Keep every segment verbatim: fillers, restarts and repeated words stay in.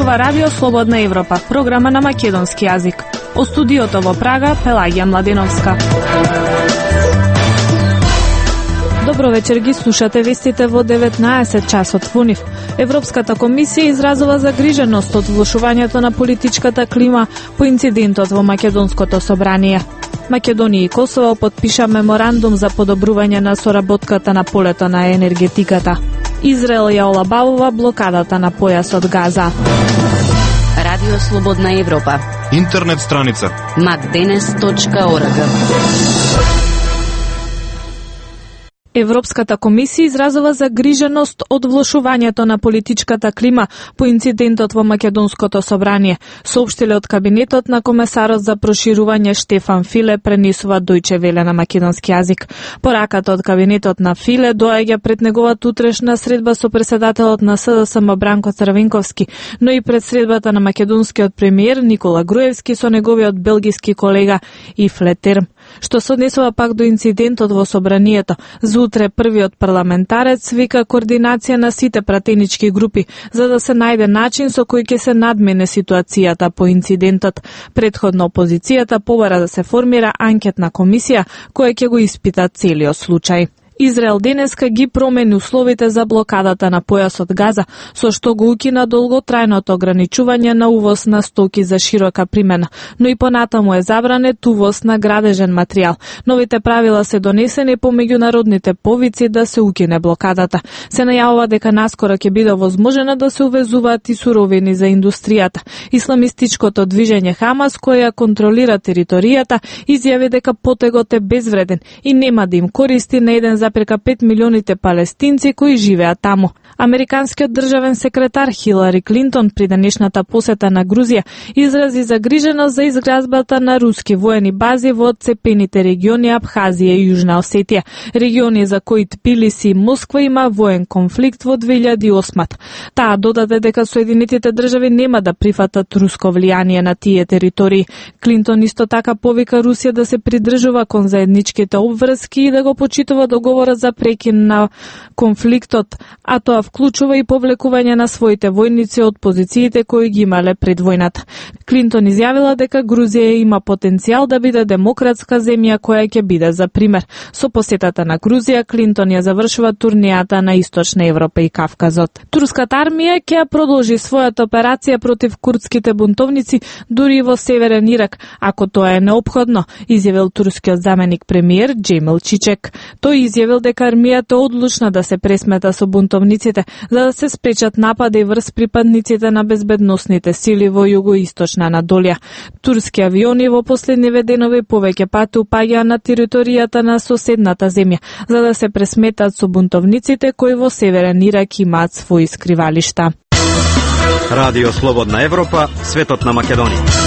зборува Радио Слободна Европа, програма на македонски јазик. О студиото во Прага, Пелагија Младеновска. Добро вечер, ги слушате вестите во деветнаесет часот во нив. Европската комисија изразува загриженост од влошувањето на политичката клима по инцидентот во Македонското собрание. Македонија и Косово потпиша меморандум за подобрување на соработката на полето на енергетиката. Израел ја олабавува блокадата на појасот Газа. Радио Слободна Европа. Интернет страница макденес точка орг. Европската комисија изразува загриженост од влошувањето на политичката клима по инцидентот во Македонското собрание, соопштиле од кабинетот на комесарот за проширување Штефан Филе, пренесува Дојче Веле на македонски јазик. Пораката од кабинетот на Филе доаѓа пред неговата утрешна средба со председателот на СДСМ Бранко Црвенковски, но и пред средбата на македонскиот премиер Никола Груевски со неговиот белгиски колега Ив Летерм. Што се однесува пак до инцидентот во собранието, за утре првиот парламентарец вика координација на сите пратенички групи, за да се најде начин со кој ќе се надмене ситуацијата по инцидентот. Претходно опозицијата побара да се формира анкетна комисија која ќе го испита целиот случај. Израел денеска ги промени условите за блокадата на појасот Газа, со што го укина долготрајното ограничување на увоз на стоки за широка примена, но и понатаму е забранет увоз на градежен материјал. Новите правила се донесени по меѓународните повици да се укине блокадата. Се најавува дека наскоро ќе биде возможено да се увезуваат и суровини за индустријата. Исламистичкото движење Хамас, која контролира територијата, изјави дека потегот е безвреден и нема да им користи на еден за прека пет милионите палестинци кои живеат таму. Американскиот државен секретар Хилари Клинтон при денешната посета на Грузија изрази загриженост за изградбата на руски воени бази во отцепените региони Абхазија и Јужна Осетија, региони за кои Тбилиси и Москва има воен конфликт во две илјади и осма. Таа додаде дека Соединетите држави нема да прифатат руско влијание на тие територии. Клинтон исто така повика Русија да се придржува кон заедничките обврски и да го почитува договорот за прекин на конфликтот, а тоа вклучува и повлекување на своите војници од позициите кои ги имале пред војната. Клинтон изјавила дека Грузија има потенцијал да биде демократска земја која ќе биде за пример. Со посетата на Грузија, Клинтон ја завршува турнијата на Источна Европа и Кавказот. Турската армија ќе ја продолжи својата операција против курдските бунтовници дури и во Северен Ирак, ако тоа е неопходно, изјавил турскиот заменик премиер Џемил Чичек. Тој изјавил дека армијата е одлучна да се пресмета со бунтовниците, за да се спречат напади врз припадниците на безбедносните сили во југоисточна Анадолија. Турски авиони во последниве денови повеќе пати упаѓаа на територијата на соседната земја, за да се пресметат со бунтовниците кои во Северен Ирак имаат своји скривалишта. Радио Слободна Европа, светот на Македонија.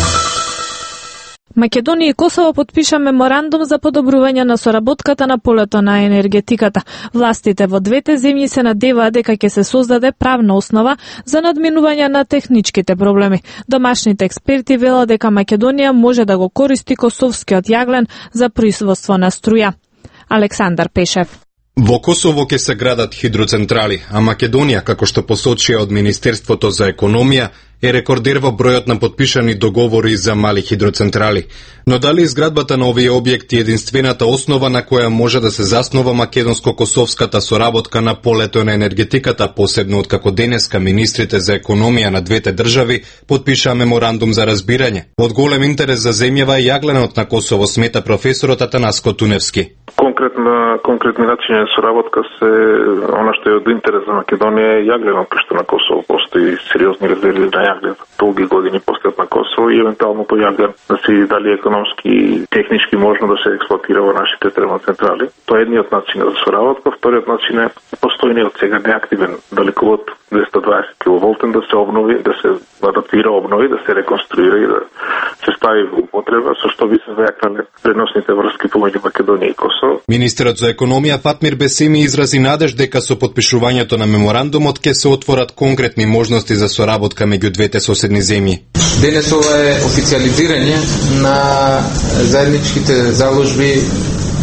Македонија и Косово потпиша меморандум за подобрување на соработката на полето на енергетиката. Властите во двете земји се надеваат дека ќе се создаде правна основа за надминување на техничките проблеми. Домашните експерти велат дека Македонија може да го користи косовскиот јаглен за производство на струја. Александар Пешев. Во Косово ќе се градат хидроцентрали, а Македонија, како што посочија од Министерството за економија, е рекордер во бројот на потпишани договори за мали хидроцентрали. Но дали изградбата на овие објекти е единствената основа на која може да се заснова македонско-косовската соработка на полето на енергетиката, посебно откако денеска министрите за економија на двете држави потпишаа меморандум за разбирање. Од голем интерес за земјава е јагленот на Косово, смета професорот Атанаско Туневски. Конкретна конкретни начини за соработка се она што е од интерес за Македонија е јагленот, кај што на Косово постои сериозни резерви на јаглен долги години постојат на Косово и евентуално тој јаглен да се види дали економски и технички можно да се експлоатира во нашите термоцентрали. Тоа е едниот начин за соработка. Вториот начин е постојни од сега неактивен далековод двеста дваесет киловолтен да се обнови, да се адаптира, обнови, да се реконструира и да се стави во употреба, со што би се зајакнале преносните врски помеѓу Македонија и Косово. Министерот за економија Фатмир Бесеми изрази надеж дека со потпишувањето на меморандумот ќе се отворат конкретни можности за соработка меѓу двете соседни земји. Денес ова е официализирање на заедничките заложби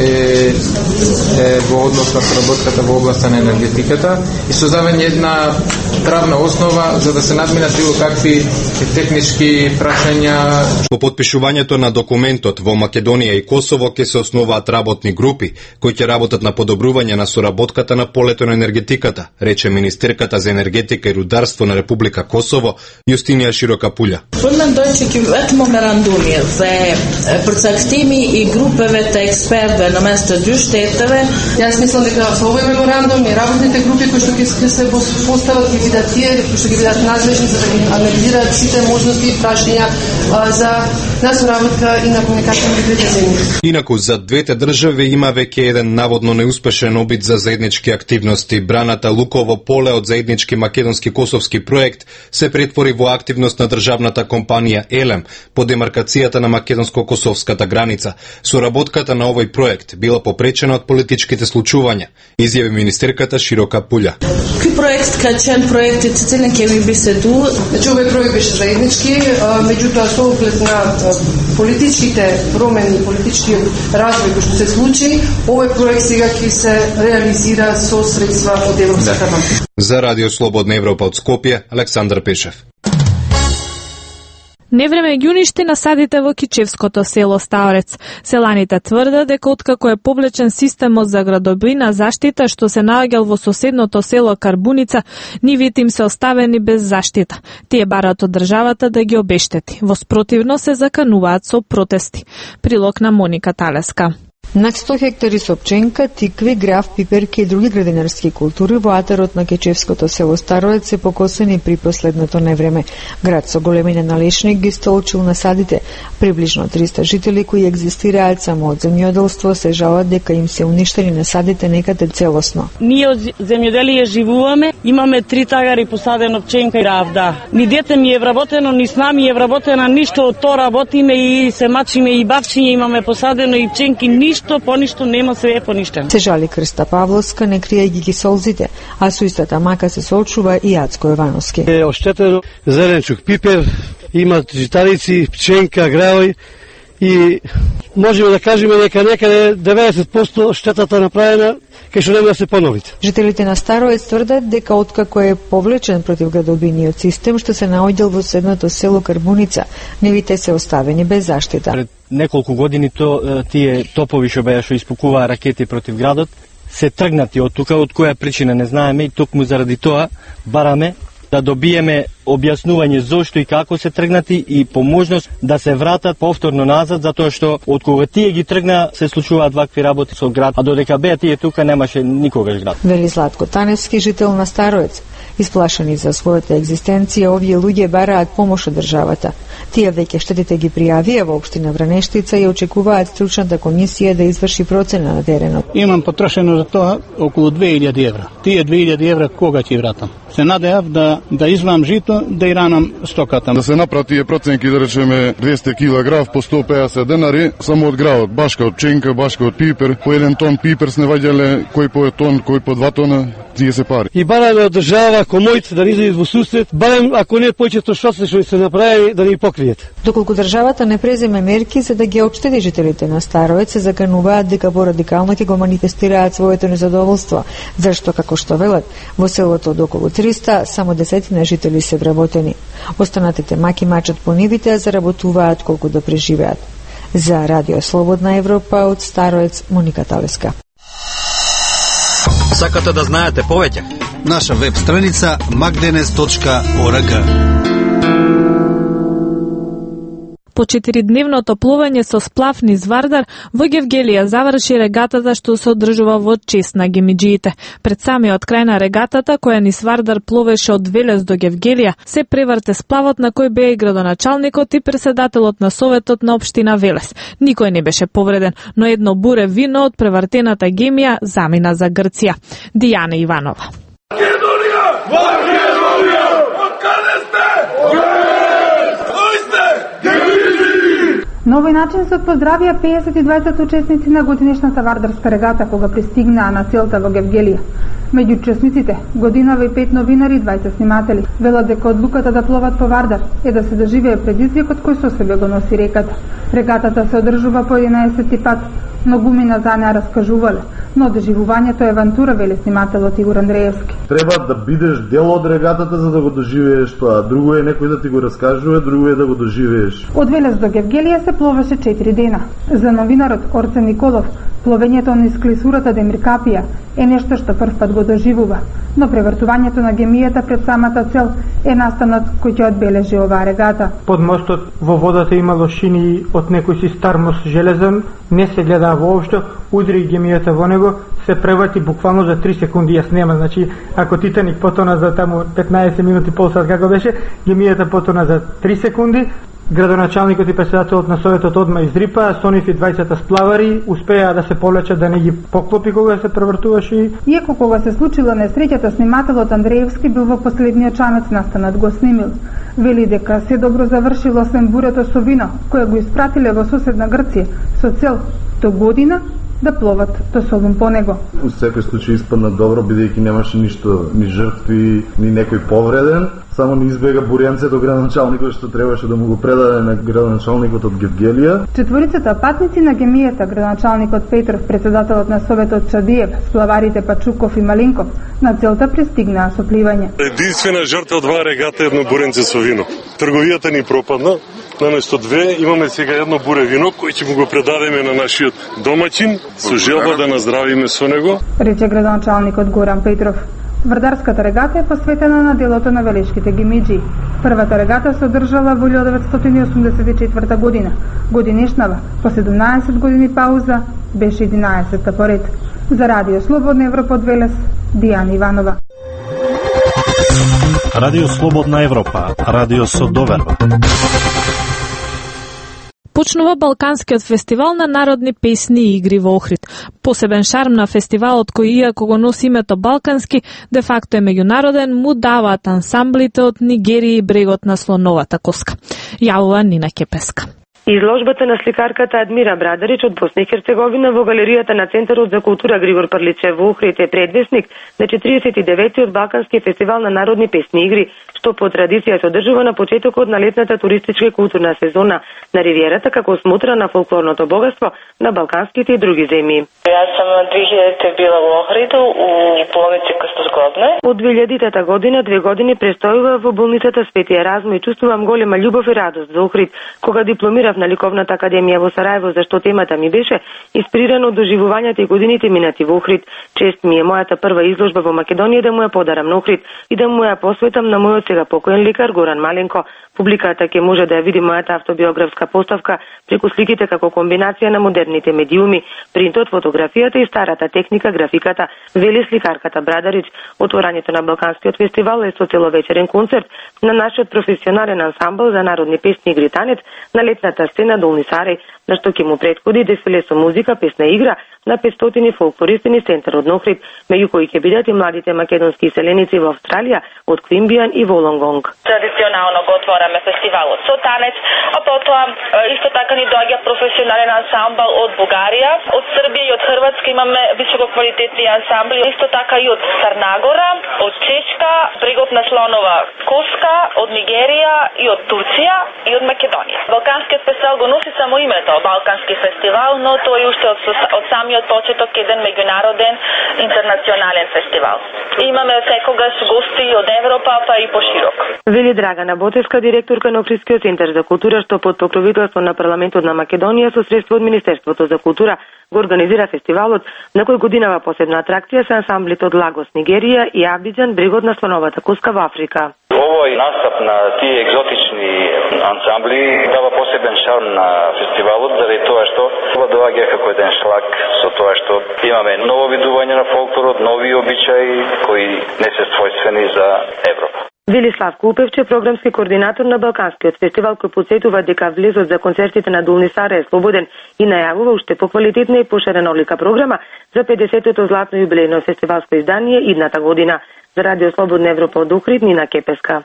е, е во однос на соработката во областа на енергетиката и создавање една правна основа за да се надминат било какви технички прашања. По подпишувањето на документот во Македонија и Косово ќе се основаат работни групи кои ќе работат на подобрување на соработката на полето на енергетиката, рече министерката за енергетика и рударство на Република Косово Јустинија Широкапуља. и групевете експерти на место дюштетеве. Јас мислам дека со овој меморандум и работните групи кои што ќе се постават ќе бидат тие кои што ќе бидат надлежни за да ги анализираат сите можности и прашања за на соработка и на комуникација меѓу двете земји. Инаку за двете држави има веќе еден наводно неуспешен обид за заеднички активности. Браната Луково поле од заеднички македонски-косовски проект се претвори во активност на државната компанија Елем по демаркацијата на македонско-косовската граница. Соработката на овој проект била попречена од политичките случувања, изјави министерката Широкапуља. Кој проект качен проектите целен ќе ви би се ду? Значи овој проект беше заеднички, меѓутоа со оглед на политичките промени, политички развој кој што се случи, овој проект сега ќе се реализира со средства од Европската банка. За Радио Слободна Европа од Скопје, Александар Пешев. Невреме ги уништи насадите во Кичевското село Ставрец. Селаните тврдат дека откако е повлечен системот за градобина заштита што се наоѓал во соседното село Карбуница, нивите им се оставени без заштита. Тие барат од државата да ги обештети. Во спротивно се закануваат со протести. Прилог на Моника Талеска. Над сто хектари со пченка, тикви, граф, пиперки и други градинарски култури во атарот на Кечевското село Староец се покосени при последното невреме. Град со големина на лешник ги столчил насадите. Приближно триста жители кои екзистираат само од земјоделство се жалат дека им се уништени насадите некаде целосно. Ние од земјоделие живуваме, имаме три тагари посадено пченка и граф, да. Ни дете ми е вработено, ни с нами е вработена, ништо од тоа работиме и се мачиме и бавчиња имаме посадено и пченки, ништо по ништо нема, се е поништено. Се жали Крста Павловска, не кријајќи ги солзите, а со истата мака се соочува и Јацко Јовановски. Е оштетено зеленчук, пипер, имат житарици, пченка, граој и можеме да кажеме дека некаде деветдесет проценти штетата направена кај што нема да се поновите. Жителите на Староец тврдат дека откако е повлечен против градобиниот систем што се наоѓал во соседното село Карбуница, нивите се оставени без заштита. Пред неколку години то тие топови што беа што испукуваа ракети против градот се тргнати од тука, од која причина не знаеме и токму заради тоа бараме да добиеме објаснување зошто и како се тргнати и поможност да се вратат повторно назад, затоа што од кога тие ги тргна се случуваат вакви работи со град, а додека беа тие тука немаше никогаш град. Вели Златко Таневски, жител на Староец. Исплашени за својата екзистенција, овие луѓе бараат помош од државата. Тие веќе штетите ги пријавија во општина Вранештица и очекуваат стручната комисија да изврши процена на теренот. Имам потрошено за тоа околу две илјади евра. Тие две илјади евра кога ќе вратам? Се надеав да да измам жито, да и ранам стоката. Да се направи тие проценки, да речеме двесте килограм по сто пеесет денари само од гравот, башка од пченка, башка од пипер, по еден тон пипер сне ваѓале кој по тон, кој по два тона, тие се пари. И бараме од држава комојт да ни излезе во сусрет, барем ако не повеќето штоци што се направи да ни покријат. Доколку државата не преземе мерки за да ги отштети жителите на Староец, се закануваат дека порадикално ќе го манифестираат своето незадоволство, зашто како што велат, во селото од околу триста само десетина жители се вработени. Останатите маки мачат по нивите, а заработуваат колку да преживеат. За Радио Слободна Европа од Староец, Моника Талеска. Сакате да знаете повеќе? Наша веб страница макденес точка орг. По четиридневното плување со сплав низ Вардар, во Гевгелија заврши регатата што се одржува во чест на гемиџиите. Пред самиот крај на регатата, која низ Вардар пловеше од Велес до Гевгелија, се преврте сплавот на кој беа и градоначалникот и председателот на Советот на општина Велес. Никој не беше повреден, но едно буре вино од превртената гемија замина за Грција. Дијана Иванова. Македонија! Македонија! Од каде сте? На овој начин се поздравија пеесет и дваесет учесници на годинешната вардарска регата кога пристигнаа на целта во Гевгелија. Меѓу учесниците годинава и пет новинари и дваесет сниматели. Велат дека одлуката да пловат по Вардар е да се доживее предизвикот кој со себе го носи реката. Регатата се одржува по единаесети пат, но гумина за неа раскажувале, но доживувањето е авантура, вели снимателот Игор Андреевски. Треба да бидеш дел од регатата за да го доживееш тоа. Друго е некој да ти го раскажува, друго е да го доживееш. Од Велес до Гевгелија се пловеше четири дена. За новинарот Орце Николов, пловењето низ клисурата Демир Капија е нешто што прв пат го доживува, но превртувањето на гемијата пред самата цел е настанот кој ќе одбележи оваа регата. Под мостот во водата имало шини од некој си стар мост железен, не се гледа воопшто, удри гемијата во него, се преврати буквално за три секунди, ја снема, значи ако Титаник потона за таму петнаесет минути, пол сат како беше, гемијата потона за три секунди. Градоначалникот и председателот на Советот одма издрипа, со нив и двајцата сплавари успеа да се полечат, да не ги поклопи кога се превртуваше. Иако кога се случила несреќата, снимателот Андреевски бил во последниот чанец настанат го снимил. Вели дека се добро завршило освен бурето со вино, кое го испратиле во соседна Грција, со цел до година да пловат до Солун по него. У секој случај испадна добро, бидејќи немаше ништо, ни жртви, ни некој повреден, само ни избега бурењцето градоначалникот што требаше да му го предаде на градоначалникот од Гевгелија. Четворицата патници на гемијата, градоначалникот Петров, председателот на Советот Чадиев, сплаварите Пачуков и Малинков, на целта пристигнаа со пливање. Единствена жртва од оваа регата е едно буренце со вино. Трговијата ни пропадна. Наместо две имаме сега едно буре вино кој ќе му го предадеме на нашиот домаќин со желба да наздравиме со него, рече градоначалникот Горан Петров. Врдарската регата е посветена на делото на велешките гемиџи. Првата регата се одржала во илјада деветстотини осумдесет и четврта година. Годинешнава, по седумнаесет години пауза, беше единаесетта поред. За Радио Слободна Европа од Велес, Дијана Иванова. Радио Слободна Европа, радио со доверба. Почнува Балканскиот фестивал на народни песни и игри во Охрид. Посебен шарм на фестивалот, кој иако го носи името Балкански, де факто е меѓународен, му даваат ансамблите од Нигерија и брегот на Слоновата коска. Јавува Нина Кепеска. Изложбата на сликарката Адмира Брадарич од Босна и Херцеговина во галеријата на Центарот за култура Григор Прличев во Охрид е предвесник на четиридесет и деветиот Балкански фестивал на народни песни и игри, што по традиција се одржува на почетокот на летната туристичка и културна сезона на ривиерата како смотра на фолклорното богатство на балканските и други земји. Јас сам две илјадите била во Охриду у болници Крсто Згодне. Од две илјадитата година две години престојува во болницата Свети Еразмо и чувствувам голема љубов и радост за Охрид кога дипломирав на Ликовната академија во Сараево, зашто темата ми беше инспирирана од доживувањата и годините минати во Охрид. Чест ми е мојата прва изложба во Македонија да му ја подарам на Охрид и да му ја посветам на мојот сега покоен лекар Горан Маленко. Публиката ќе може да ја види мојата автобиографска поставка преку сликите како комбинација на модерните медиуми, принтот, фотографијата и старата техника, графиката, вели сликарката Брадарич. Отворањето на Балканскиот фестивал е со целовечерен концерт на нашиот професионален ансамбл за народни песни и гританец на летната сцена Долни Сарај, на што ќе му претходи дефиле со музика, песна и игра на петстотини фолклористи низ центарот на Охрид, меѓу кои ќе бидат и младите македонски иселеници во Австралија од Квимбијан и Волонгонг. Традиционално го отвораме фестивалот со танец, а потоа исто така ни доаѓа професионален ансамбл од Бугарија, од Србија и од Хрватска имаме висококвалитетни ансамбли, исто така и од Црнагора, од Чешка, брегот на Слонова коска, од Нигерија и од Турција и од Македонија. Балканскиот фестивал го носи само името Балкански фестивал, но тој уште од, од самиот почеток еден меѓународен интернационален фестивал. Имаме секогаш гости од Европа, па и поширок. Вели Драгана Ботевска, директорка на Охридскиот центар за култура, што под покровителство на парламентот на Македонија со средства од Министерството за култура го организира фестивалот, на кој годинава посебна атракција се ансамблите од Лагос, Нигерија и Абиџан, брегот на Слоновата коска во Африка. Овој настап на тие екзотични ансамбли дава посебен шарм на фестивалот, заради тоа што ова доаѓа како еден шлак со тоа што имаме ново видување на фолклорот, нови обичаи кои не се својствени за Европа. Велислав Кулпевче, програмски координатор на Балканскиот фестивал, кој потсетува дека влезот за концертите на Долни Сарај е слободен и најавува уште поквалитетна и поширена олика програма за педесетото златно јубилејно фестивалско издание идната година. За Радио Слободна Европа од Охрид, Нина Кепеска.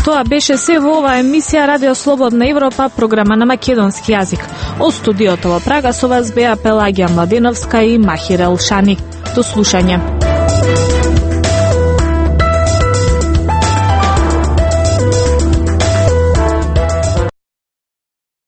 Тоа беше се во оваа емисија Радио Слободна Европа, програма на македонски јазик. Од студиото во Прага со вас беа Пелагија Младеновска и Махир Елшани. До слушање.